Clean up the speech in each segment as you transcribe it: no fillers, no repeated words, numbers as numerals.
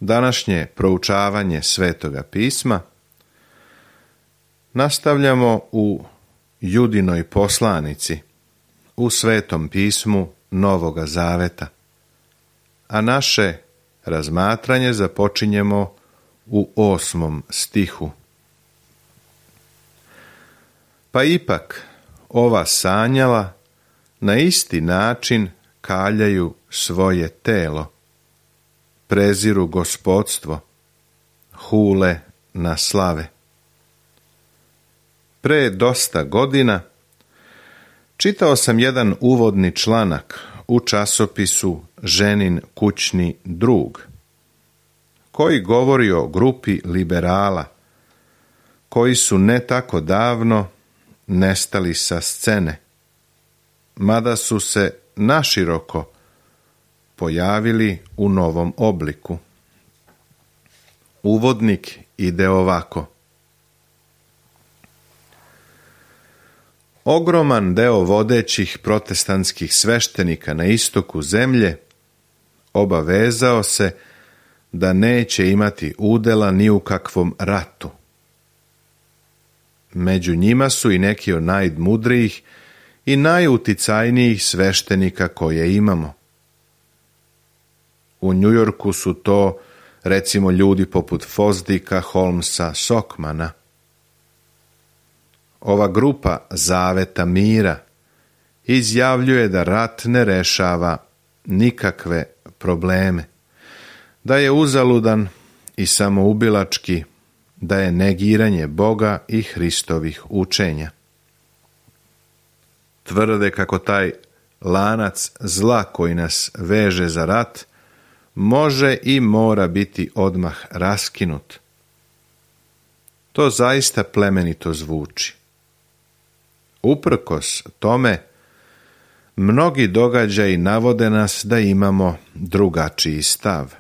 današnje proučavanje Svetoga pisma nastavljamo u Judinoj poslanici, u Svetom pismu Novoga Zaveta, a naše razmatranje započinjemo u 8. stihu. Pa ipak ova sanjala na isti način kaljaju svoje telo, preziru gospodstvo, hule na slave. Pre dosta godina čitao sam jedan uvodni članak u časopisu Ženin kućni drug, koji govori o grupi liberala koji su ne tako davno nestali sa scene, mada su se naširoko pojavili u novom obliku. Uvodnik ide ovako. Ogroman deo vodećih protestantskih sveštenika na istoku zemlje obavezao se da neće imati udela ni u kakvom ratu. Među njima su i neki od najmudrijih i najuticajnijih sveštenika koje imamo. U Njujorku su to, recimo, ljudi poput Fosdika, Holmesa, Sokmana. Ova grupa Zaveta mira izjavljuje da rat ne rešava nikakve probleme, da je uzaludan i samoubilački, da je negiranje Boga i Hristovih učenja. Tvrde kako taj lanac zla koji nas veže za rat može i mora biti odmah raskinut. To zaista plemenito zvuči. Uprkos tome, mnogi događaji navode nas da imamo drugačiji stav.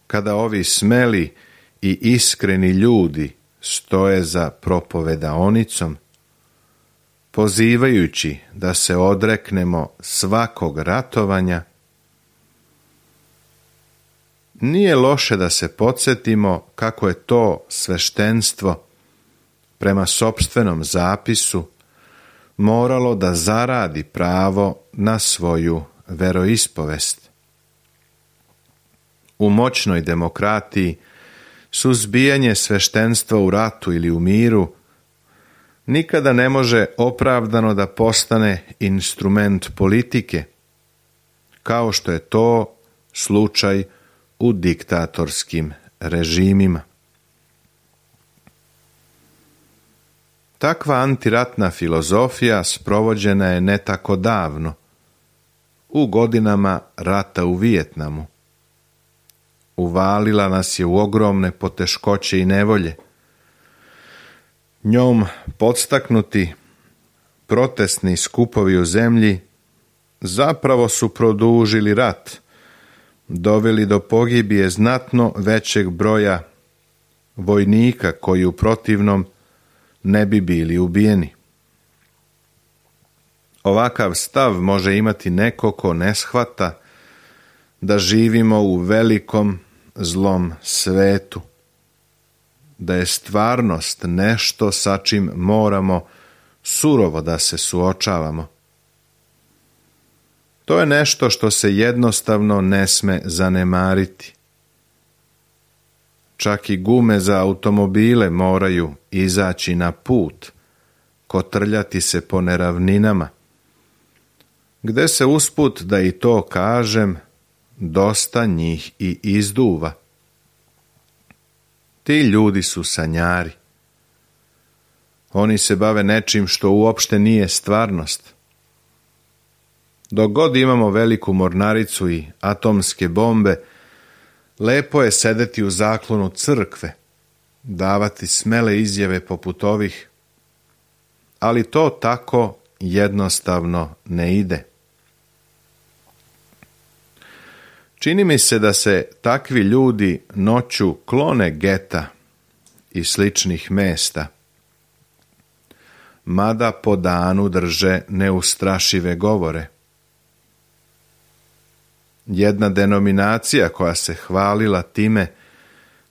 Kada ovi smeli i iskreni ljudi stoje za propovedaonicom, pozivajući da se odreknemo svakog ratovanja, nije loše da se podsjetimo kako je to sveštenstvo prema sopstvenom zapisu moralo da zaradi pravo na svoju veroispovest. U moćnoj demokratiji suzbijanje sveštenstva u ratu ili u miru nikada ne može opravdano da postane instrument politike, kao što je to slučaj u diktatorskim režimima. Takva antiratna filozofija sprovođena je ne tako davno, u godinama rata u Vijetnamu. Uvalila nas je u ogromne poteškoće i nevolje. Njom podstaknuti protestni skupovi u zemlji zapravo su produžili rat, doveli do pogibije znatno većeg broja vojnika koji u protivnom ne bi bili ubijeni. Ovakav stav može imati neko ko ne shvata da živimo u velikom zlom svetu, da je stvarnost nešto sa čim moramo surovo da se suočavamo. To je nešto što se jednostavno ne sme zanemariti. Čak i gume za automobile moraju izaći na put, kotrljati se po neravninama, gde se usput, da i to kažem, dosta njih i izduva. Ti ljudi su sanjari. Oni se bave nečim što uopšte nije stvarnost. Dok god imamo veliku mornaricu i atomske bombe, lepo je sedeti u zaklonu crkve, davati smele izjave poput ovih, ali to tako jednostavno ne ide. Čini mi se da se takvi ljudi noću klone geta i sličnih mesta, mada po danu drže neustrašive govore. jedna denominacija koja se hvalila time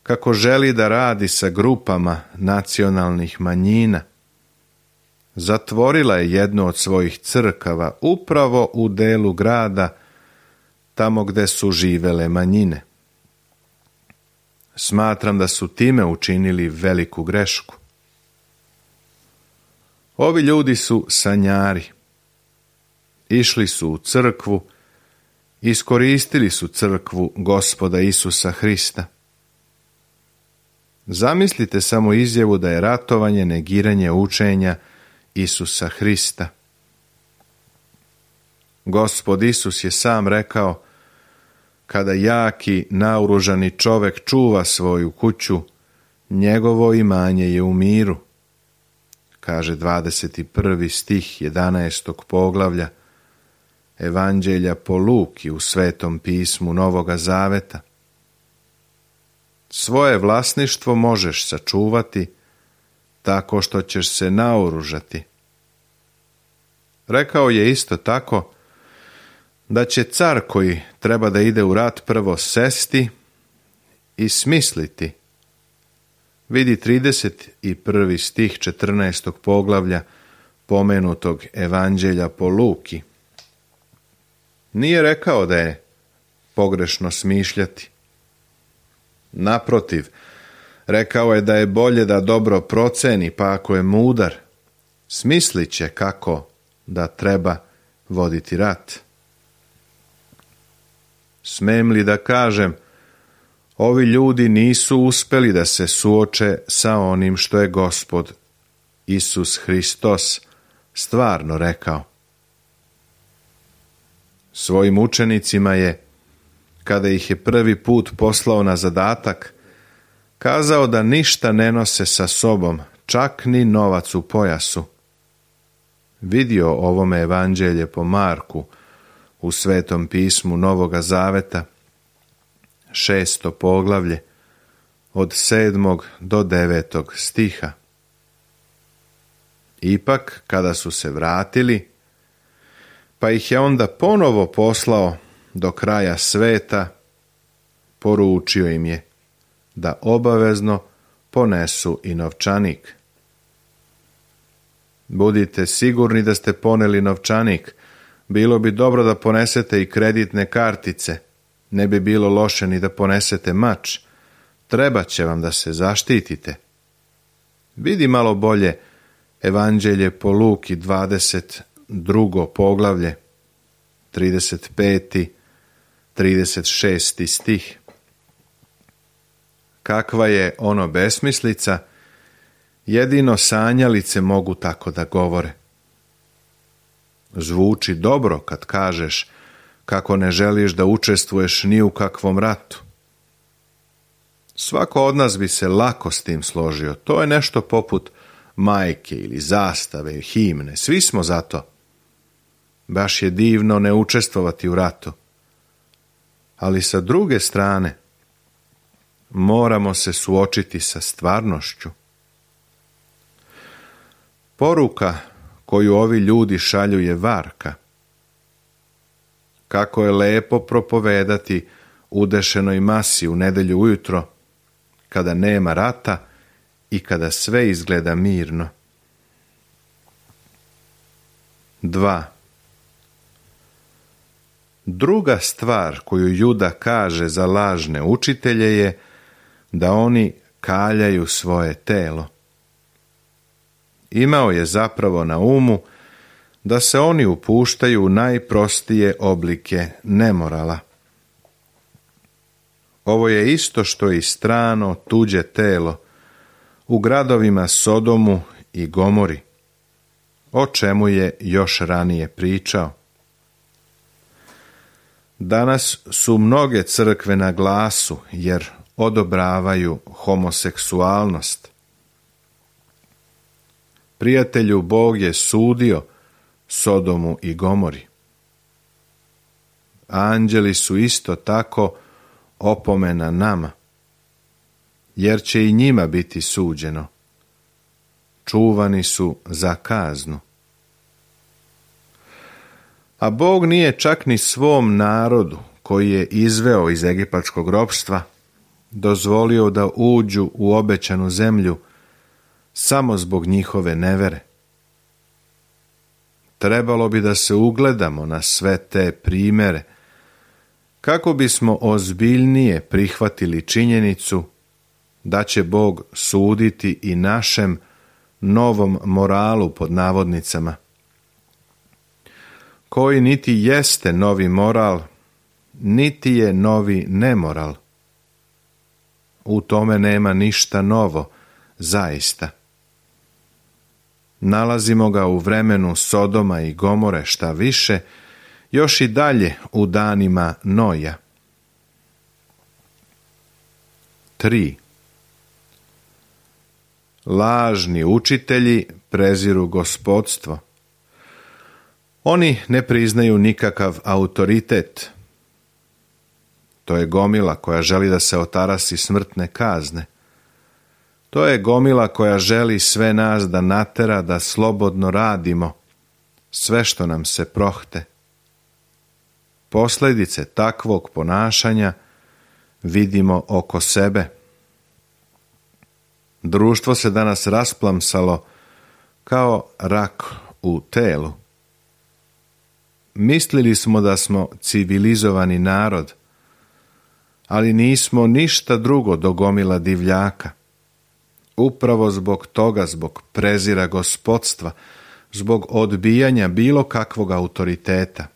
kako želi da radi sa grupama nacionalnih manjina, zatvorila je jednu od svojih crkava upravo u delu grada tamo gde su živele manjine. Smatram da su time učinili veliku grešku. Ovi ljudi su sanjari. Išli su u crkvu, iskoristili su crkvu Gospoda Isusa Hrista. Zamislite samo izjavu da je ratovanje negiranje učenja Isusa Hrista. Gospod Isus je sam rekao: kada jaki, naoružani čovek čuva svoju kuću, njegovo imanje je u miru. Kaže 21. stih 11. poglavlja Evanđelja po Luki u Svetom pismu Novoga Zaveta. Svoje vlasništvo možeš sačuvati tako što ćeš se naoružati. Rekao je isto tako da će car koji treba da ide u rat prvo sesti i smisliti. Vidi 31. stih 14. poglavlja pomenutog Evanđelja po Luki. Nije rekao da je pogrešno smišljati. Naprotiv, rekao je da je bolje da dobro proceni, pa ako je mudar, smislit će kako da treba voditi rat. Smem li da kažem, ovi ljudi nisu uspeli da se suoče sa onim što je Gospod Isus Hristos stvarno rekao. Svojim učenicima je, kada ih je prvi put poslao na zadatak, kazao da ništa ne nose sa sobom, čak ni novac u pojasu. Vidio ovome Evanđelje po Marku u Svetom pismu Novoga Zaveta, 6. poglavlje, od 7. do 9. stiha. Ipak, kada su se vratili, pa ih je onda ponovo poslao do kraja sveta, poručio im je da obavezno ponesu i novčanik. Budite sigurni da ste poneli novčanik. Bilo bi dobro da ponesete i kreditne kartice. Ne bi bilo loše ni da ponesete mač. Treba će vam da se zaštitite. Vidi malo bolje Evanđelje po Luki 22. poglavlje, 35. 36. stih. Kakva je ono besmislica, jedino sanjalice mogu tako da govore. Zvuči dobro kad kažeš kako ne želiš da učestvuješ ni u kakvom ratu. Svako od nas bi se lako s tim složio. To je nešto poput majke ili zastave, himne. Svi smo za to. Baš je divno ne učestvovati u ratu. Ali sa druge strane, moramo se suočiti sa stvarnošću. Poruka koju ovi ljudi šalju je varka. Kako je lepo propovedati udešenoj masi u nedelju ujutro, kada nema rata i kada sve izgleda mirno. 2. Druga stvar koju Juda kaže za lažne učitelje je da oni kaljaju svoje telo. Imao je zapravo na umu da se oni upuštaju u najprostije oblike nemorala. Ovo je isto što i strano tuđe telo u gradovima Sodomu i Gomori, o čemu je još ranije pričao. Danas su mnoge crkve na glasu jer odobravaju homoseksualnost. Prijatelju, Bog je sudio Sodomu i Gomori. Anđeli su isto tako opomena nama, jer će i njima biti suđeno. Čuvani su za kaznu. A Bog nije čak ni svom narodu, koji je izveo iz egipatskog ropstva, dozvolio da uđu u obećanu zemlju samo zbog njihove nevere. Trebalo bi da se ugledamo na sve te primere, kako bismo ozbiljnije prihvatili činjenicu da će Bog suditi i našem novom moralu pod navodnicama, koji niti jeste novi moral, niti je novi nemoral. U tome nema ništa novo, zaista. Nalazimo ga u vremenu Sodoma i Gomore, šta više, još i dalje u danima Noja. 3. Lažni učitelji preziru gospodstvo. Oni ne priznaju nikakav autoritet. To je gomila koja želi da se otarasi smrtne kazne. To je gomila koja želi sve nas da natera da slobodno radimo sve što nam se prohte. Posljedice takvog ponašanja vidimo oko sebe. Društvo se danas rasplamsalo kao rak u telu. Mislili smo da smo civilizovani narod, ali nismo ništa drugo do gomila divljaka. Upravo zbog toga, zbog prezira gospodstva, zbog odbijanja bilo kakvog autoriteta.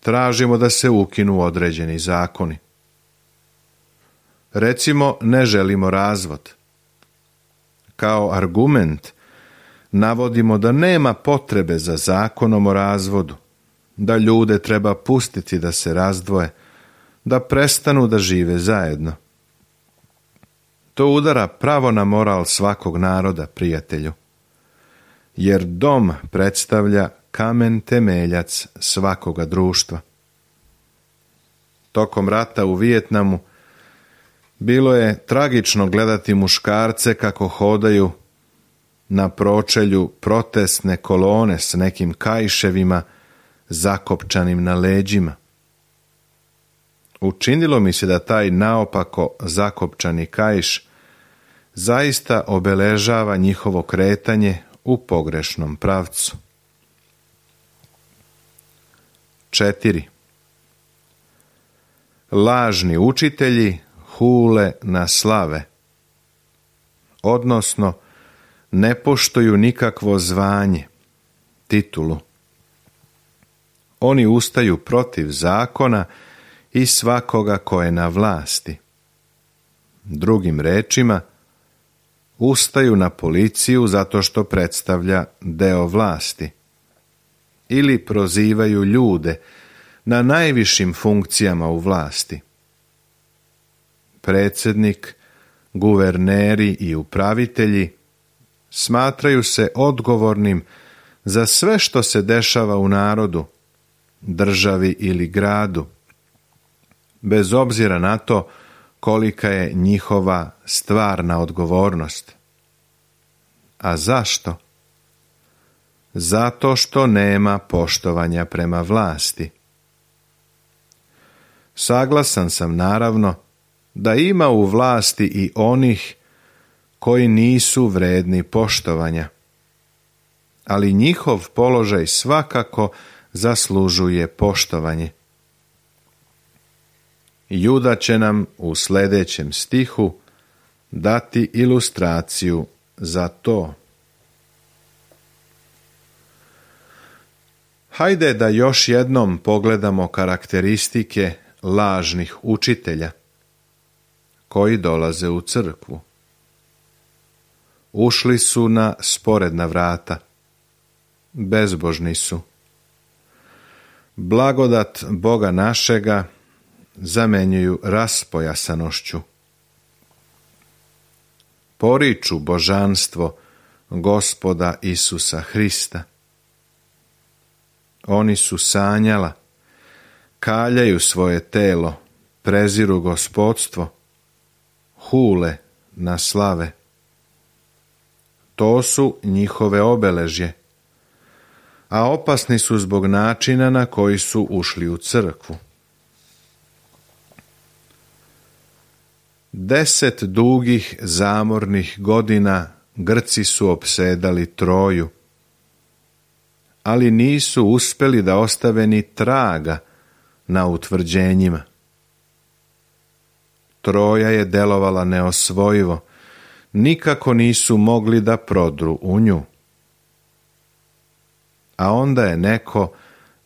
Tražimo da se ukinu određeni zakoni. Recimo, ne želimo razvod. Kao argument navodimo da nema potrebe za zakonom o razvodu, da ljude treba pustiti da se razdvoje, da prestanu da žive zajedno. To udara pravo na moral svakog naroda, prijatelju, jer dom predstavlja kamen temeljac svakoga društva. Tokom rata u Vijetnamu bilo je tragično gledati muškarce kako hodaju na pročelju protestne kolone s nekim kaiševima zakopčanim na leđima. Učinilo mi se da taj naopako zakopčani kaiš zaista obeležava njihovo kretanje u pogrešnom pravcu. 4. Lažni učitelji hule na slave, odnosno ne poštuju nikakvo zvanje, titulu. Oni ustaju protiv zakona i svakoga ko je na vlasti. Drugim rečima, ustaju na policiju zato što predstavlja deo vlasti. Ili prozivaju ljude na najvišim funkcijama u vlasti. Predsjednik, guverneri i upravitelji smatraju se odgovornim za sve što se dešava u narodu, državi ili gradu, bez obzira na to kolika je njihova stvarna odgovornost. A zašto? Zato što nema poštovanja prema vlasti. Saglasan sam naravno da ima u vlasti i onih koji nisu vredni poštovanja, ali njihov položaj svakako zaslužuje poštovanje. Juda će nam u sljedećem stihu dati ilustraciju za to. Hajde da još jednom pogledamo karakteristike lažnih učitelja koji dolaze u crkvu. Ušli su na sporedna vrata. Bezbožni su. Blagodat Boga našega zamenjuju raspojasanošću. Poriču božanstvo Gospoda Isusa Hrista. Oni su sanjala, kaljaju svoje telo, preziru gospodstvo, hule na slave. To su njihove obeležje. a opasni su zbog načina na koji su ušli u crkvu. 10 dugih zamornih godina Grci su opsedali Troju, ali nisu uspjeli da ostave ni traga na utvrđenjima. Troja je delovala neosvojivo, nikako nisu mogli da prodru u nju. A onda je neko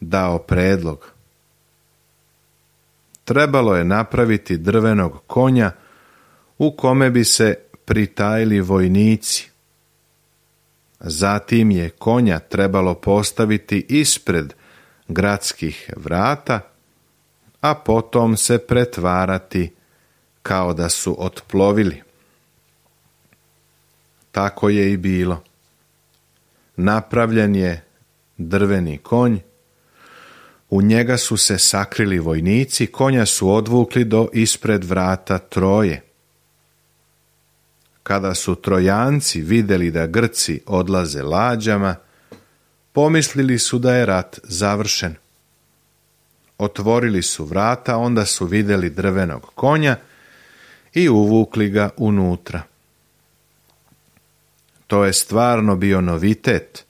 dao predlog. Trebalo je napraviti drvenog konja u kome bi se pritajili vojnici. Zatim je konja trebalo postaviti ispred gradskih vrata, a potom se pretvarati kao da su otplovili. Tako je i bilo. Napravljen je drveni konj, u njega su se sakrili vojnici, konja su odvukli do ispred vrata Troje. Kada su Trojanci vidjeli da Grci odlaze lađama, pomislili su da je rat završen. Otvorili su vrata, onda su vidjeli drvenog konja i uvukli ga unutra. To je stvarno bio novitet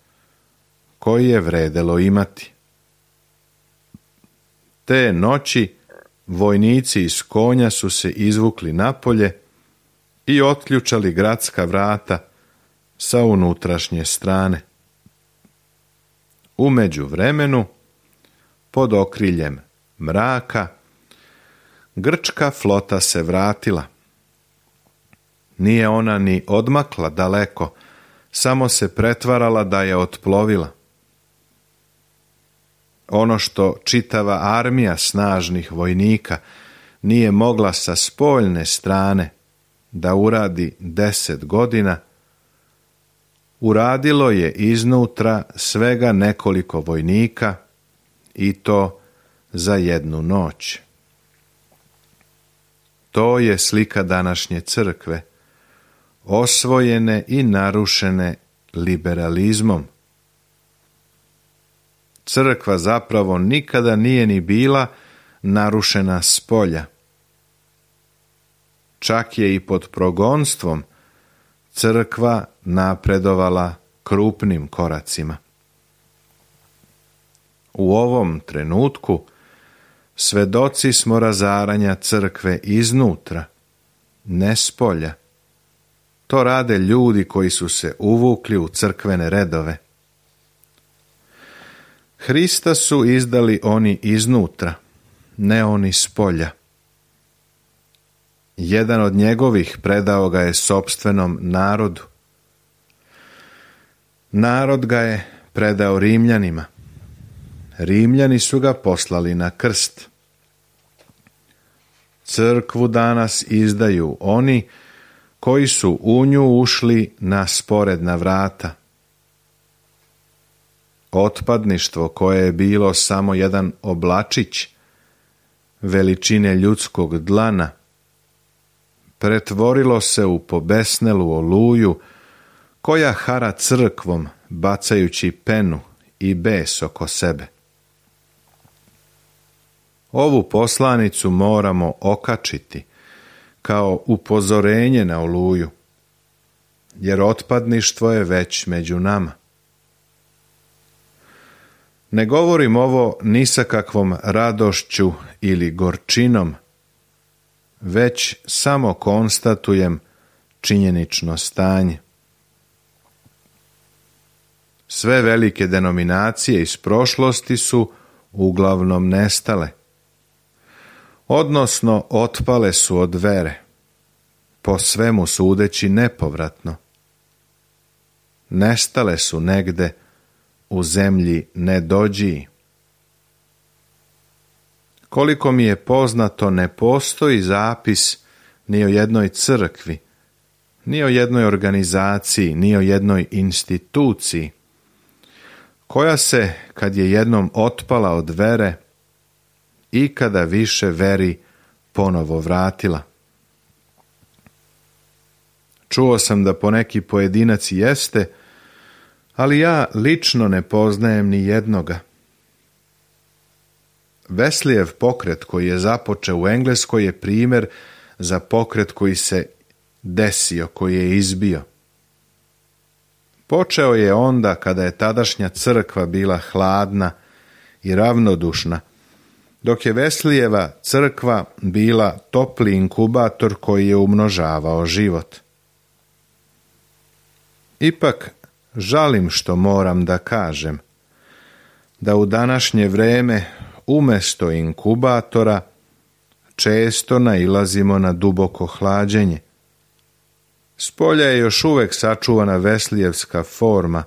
koji je vredelo imati. Te noći vojnici iz konja su se izvukli napolje i otključali gradska vrata sa unutrašnje strane. U međuvremenu, pod okriljem mraka, grčka flota se vratila. Nije ona ni odmakla daleko, samo se pretvarala da je otplovila. Ono što čitava armija snažnih vojnika nije mogla sa spoljne strane da uradi 10 godina, uradilo je iznutra svega nekoliko vojnika i to za jednu noć. To je slika današnje crkve, osvojene i narušene liberalizmom. Crkva zapravo nikada nije ni bila narušena spolja. Čak je i pod progonstvom crkva napredovala krupnim koracima. U ovom trenutku svedoci smo razaranja crkve iznutra, ne spolja. To rade ljudi koji su se uvukli u crkvene redove. Hrista su izdali oni iznutra, ne oni spolja. Jedan od njegovih predao ga je sopstvenom narodu. Narod ga je predao Rimljanima. Rimljani su ga poslali na krst. Crkvu danas izdaju oni koji su u nju ušli na sporedna vrata. Otpadništvo koje je bilo samo jedan oblačić veličine ljudskog dlana pretvorilo se u pobesnelu oluju koja hara crkvom bacajući penu i bes oko sebe. Ovu poslanicu moramo okačiti kao upozorenje na oluju, jer otpadništvo je već među nama. Ne govorim ovo ni sa kakvom radošću ili gorčinom, već samo konstatujem činjenično stanje. Sve velike denominacije iz prošlosti su uglavnom nestale, odnosno otpale su od vere, po svemu sudeći nepovratno. Nestale su negde u zemlji nedođiji. Koliko mi je poznato, ne postoji zapis ni o jednoj crkvi, ni o jednoj organizaciji, ni o jednoj instituciji, koja se, kad je jednom otpala od vere, ikada više veri ponovo vratila. Čuo sam da poneki pojedinac jeste ali ja lično ne poznajem ni jednoga. Wesleyev pokret koji je započeo u Engleskoj je primjer za pokret koji se desio, koji je izbio. Počeo je onda kada je tadašnja crkva bila hladna i ravnodušna, dok je Wesleyeva crkva bila topli inkubator koji je umnožavao život. Ipak, žalim što moram da kažem, da u današnje vreme umjesto inkubatora često nailazimo na duboko hlađenje. Spolja je još uvek sačuvana Wesleyevska forma,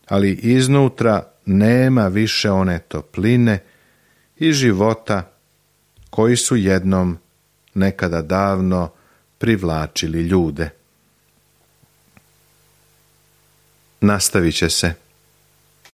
ali iznutra nema više one topline i života koji su jednom, nekada davno, privlačili ljude. Nastavit će se.